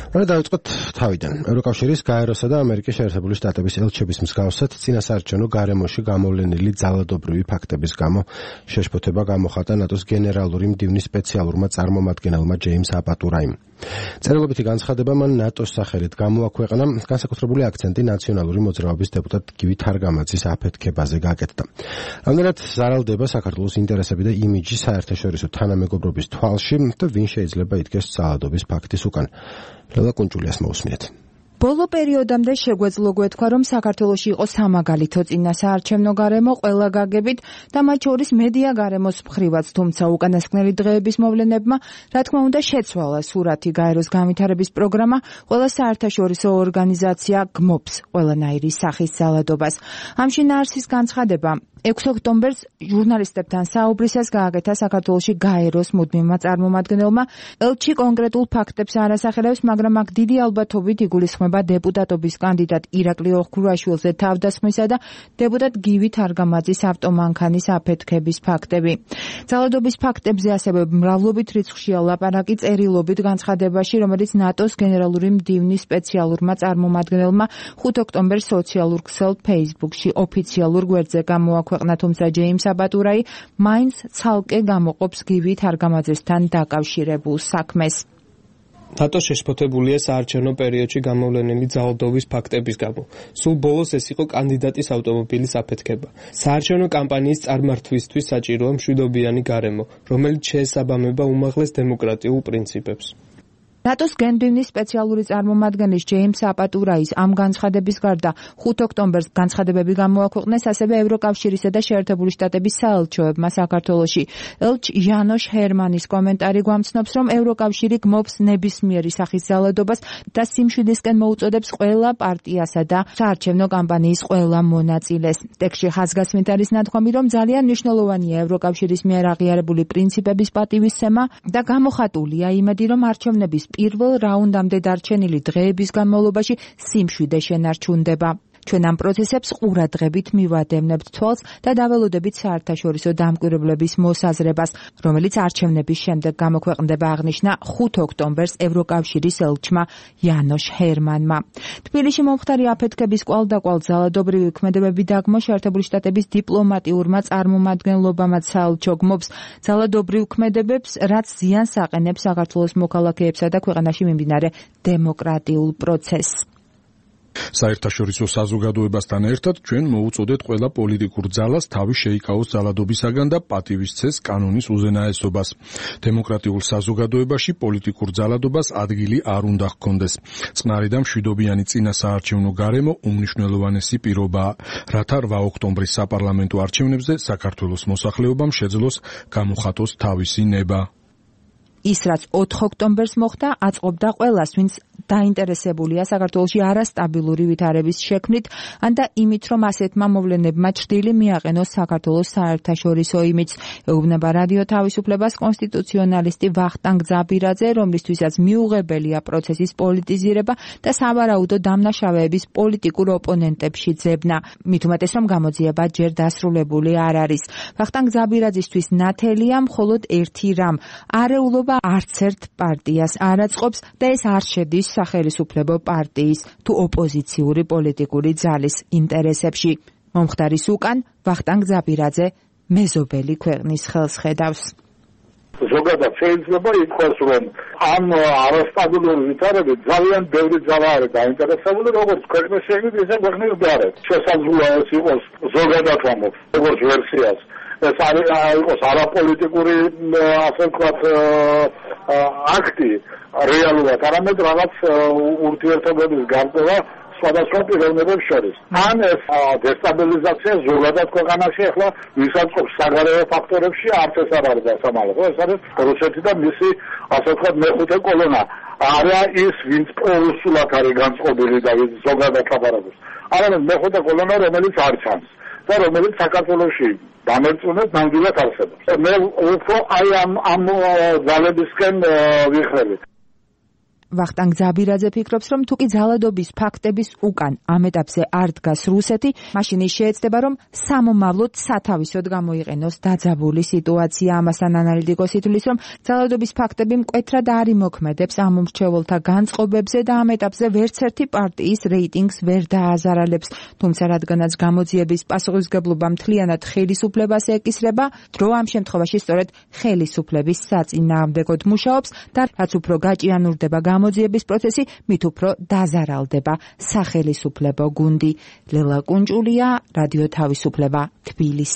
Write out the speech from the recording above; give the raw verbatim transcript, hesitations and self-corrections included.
რა დავიწყოთ თავიდან. ევროკავშირის გაეროსა და ამერიკის შეერთებული შტატების ელჩების მსგავსად წინასაარჩევნო გარემოში გამოვლენილი ძალადობრივი ფაქტების გამო შეშფოთება გამოხატა ნატოს გენერალური მდივნის სპეციალურმა წარმომადგენელმა ჯეიმს აპატურაიმ. წერილობითი განცხადება მან ნატოს სახელით გამოაქვეყნა, განსაკუთრებული აქცენტი ნაციონალური მოძრაობის დეპუტატ გივი თარგამაძის აფეთქებაზე გაკეთდა. რამდენად ზარალდება საქართველოს ინტერესები და იმიჯი საერთაშორისო თანამეგობრობის თვალში და ვინ შეიძლება იდგეს ძალადობის ფაქტის უკან. ლელა კუნჭულიას მოусმინეთ. ბოლო პერიოდამდე შეგვეძლო გვეთქვა, რომ საქართველოში იყო სამაგალითო წინასაარჩევნო გარემო ყველა გაგებით და მათ შორის მედია გარემოს მხრივაც, თუმცა უკანასკნელი დღეების მოვლენებმა, რა თქმა უნდა, შეცვალა სურათი. გაეროს განვითარების პროგრამა ყველა საერთაშორისო ორგანიზაცია გმობს ყველანაირი სახის ძალადობას. ამ შინაარსის განცხადება ექვსი ოქტომბერს ჟურნალისტებთან საუბრისას გააკეთა საქართველოში გაეროს მუდმივმა წარმომადგენელმა. ელჩი კონკრეტულ ფაქტებს არ ასახელებს, მაგრამ აქ დიდი ალბათობით იგულისხმება დეპუტატობის კანდიდატ ირაკლი ოხქრუაშვილზე თავდასხმისა და დეპუტატ გივი თარგამაძის ავტომანქანის აფეთქების ფაქტები. ძალადობის ფაქტებზე ასევე მრავლობით რიცხვშია ლაპარაკი წერილობით განცხადებაში, რომელიც ნატოს გენერალური მდივნის სპეციალურმა წარმომადგენელმა ხუთი ოქტომბერს სოციალურ ქსელ Facebook-ში ოფიციალურ გვერდზე გამოაქვეყნა. ქვეყნა, თუმცა ჯეიმს აპატურაი მაინც ცალკე გამოყოფს გივი თარგამაძესთან დაკავშირებულ საქმეს. ნატო შეშფოთებულია საარჩევნო პერიოდში გამოვლენილი ძალადობის ფაქტების გამო. სულ ბოლოს ეს იყო კანდიდატის ავტომობილის აფეთქება. საარჩევნო კამპანიის წარმართვისთვის საჭიროა მშვიდობიანი გარემო, რომელიც შეესაბამება უმაღლეს დემოკრატიულ პრინციპებს. ნატოს გენდვინის სპეციალური წარმომადგენლის ჯეიმს აპატურაის ამ განცხადების გარდა ხუთი ოქტომბერს განცხადებები გამოაქვეყნეს ასევე ევროკავშირისა და შეერთებული შტატების საელჩოებმა საქართველოში. ელჩ იანოშ ჰერმანის კომენტარი გვამცნობს, რომ ევროკავშირი გმობს ნებისმიერი სახის ძალადობას და სიმშვიდისკენ მოუწოდებს ყველა პარტიასა და საარჩევნო კამპანიის ყველა მონაწილეს. ტექსტში ხაზგასმით არის ნათქვამი, რომ ძალიან მნიშვნელოვანია ევროკავშირის მიერ აღიარებული პრინციპების პატივისცემა და გამოხატულია იმედი, რომ არჩევნების პირველ რაუნდამდე დარჩენილი დღეების განმავლობაში სიმშვიდე შენარჩუნდება. ჩვენ ამ პროცესებს ყურადღებით მივადევნებთ თვალს და დაველოდებით საერთაშორისო დამკვირვებლების მოსაზრებას, რომელიც არჩევნების შემდეგ გამოქვეყნდება, აღნიშნა ხუთი ოქტომბერს ევროკავშირის ელჩმა იანოშ ჰერმანმა. თბილისში მომხდარი აფეთქების კვალდაკვალ ძალადობრივი ქმედებები დაგმო შეერთებული შტატების დიპლომატიურმა წარმომადგენლობამაც საელჩო გმობს ძალადობრივ ქმედებებს, რაც ზიანს აყენებს საქართველოს მოქალაქეებსა და ქვეყანაში მიმდინარე დემოკრატიულ პროცესს. საერთაშორისო საზოგადოებასთან ერთად ჩვენ მოუწოდეთ ყველა პოლიტიკურ ძალას თავი შეიკავოს ძალადობისაგან და პატივისცეს კანონის უზენაესობას. დემოკრატიულ საზოგადოებაში პოლიტიკურ ძალადობას ადგილი არ უნდა ჰქონდეს. წყნარი და მშვიდობიანი წინასაარჩევნო გარემო უმნიშვნელოვანესი პირობაა, რათა რვა ოქტომბრის საპარლამენტო არჩევნებზე საქართველოს მოსახლეობამ შეძლოს გამოხატოს თავისი ნება. ის, რაც ოთხი ოქტომბერს მოხდა, აწყობდა ყველას, ვინც დაინტერესებულია საქართველოში არასტაბილური ვითარების შექმნით, ან და იმით, რომ ასეთმა მოვლენებმა ჭრილი მიაყენოს საქართველოს საერთაშორისო იმიჯს. ეუბნება რადიო თავისუფლებას კონსტიტუციონალისტი ვახტანგ ძაბირაძე, რომლისთვისაც მიუღებელია პროცესის პოლიტიზირება და სავარაუდო დამნაშავეების პოლიტიკურ ოპონენტებში ძებნა. მით უმეტეს, რომ გამოძიება ჯერ დასრულებული არ არის. ვახტანგ ძაბირაძისთვის ნათელია მხოლოდ ერთი რამ: არეულობა არც ერთ პარტიას არ აწყობს და ეს არ შედის სახელისუფლებო პარტიის თუ ოპოზიციური პოლიტიკური ძალის ინტერესებში. მომხდარის უკან ვახტანგ ძაბირაძე მეზობელი ქვეყნის ხელს ხედავს. ზოგადად შეიძლება ითქვას, რომ ამ არასტაბილური ვითარებით ძალიან ბევრი ძალა არის დაინტერესებული, როგორც ქვეყნის შექმნით, ისე ქვეყნის გარეთ. შესაძლოა ეს იყოს ზოგადად ამბობს, როგორც ვერსიას. ეს არის იყოს არაპოლიტიკური, ასე ვთქვათ, აქტი რეალურად, არამედ რაღაც ურთიერთობების გარკვევა სხვადასხვა პიროვნებებს შორის. ან ეს დესტაბილიზაცია ზოგადად ქვეყანაში ახლა ვისაწყობს საგარეო ფაქტორებში, არც ეს არ არის დასამალო. ეს არის რუსეთი და მისი, ასე ვთქვათ, მეხუთე კოლონა. არა ის, ვინც პროუსულად არის განწყობილი და ზოგადად ლაპარაკობს. არამედ მეხუთე კოლონა, რომელიც არ ჩანს და რომელიც საქართველოში დამერწმუნეთ ნამდვილად არსებობს. მე უფრო აი ამ ამ ძალებისკენ ვიხრებით. ვახტანგ ზაბირაძე ფიქრობს, რომ თუკი ძალადობის ფაქტების უკან ამ ეტაპზე არ დგას რუსეთი, მაშინ ის შეეცდება, რომ სამომავლოდ სათავისოდ გამოიყენოს დაძაბული სიტუაცია. ამასთან ანალიტიკოსი თვლის, რომ ძალადობის ფაქტები მკვეთრად არ იმოქმედებს ამ მრჩეველთა განწყობებზე და ამ ეტაპზე ვერც ერთი პარტიის რეიტინგს ვერ დააზარალებს. თუმცა რადგანაც გამოძიების პასუხისმგებლობა მთლიანად ხელისუფლებას ეკისრება, დრო ამ შემთხვევაში სწორედ ხელისუფლების საწინააღმდეგოდ მუშაობს და რაც უფრო გაჭიანურდება გამოძიების პროცესი, მით უფრო დაზარალდება სახელისუფლებო გუნდი. ლელა კუნჭულია, რადიო თავისუფლება, თბილისი.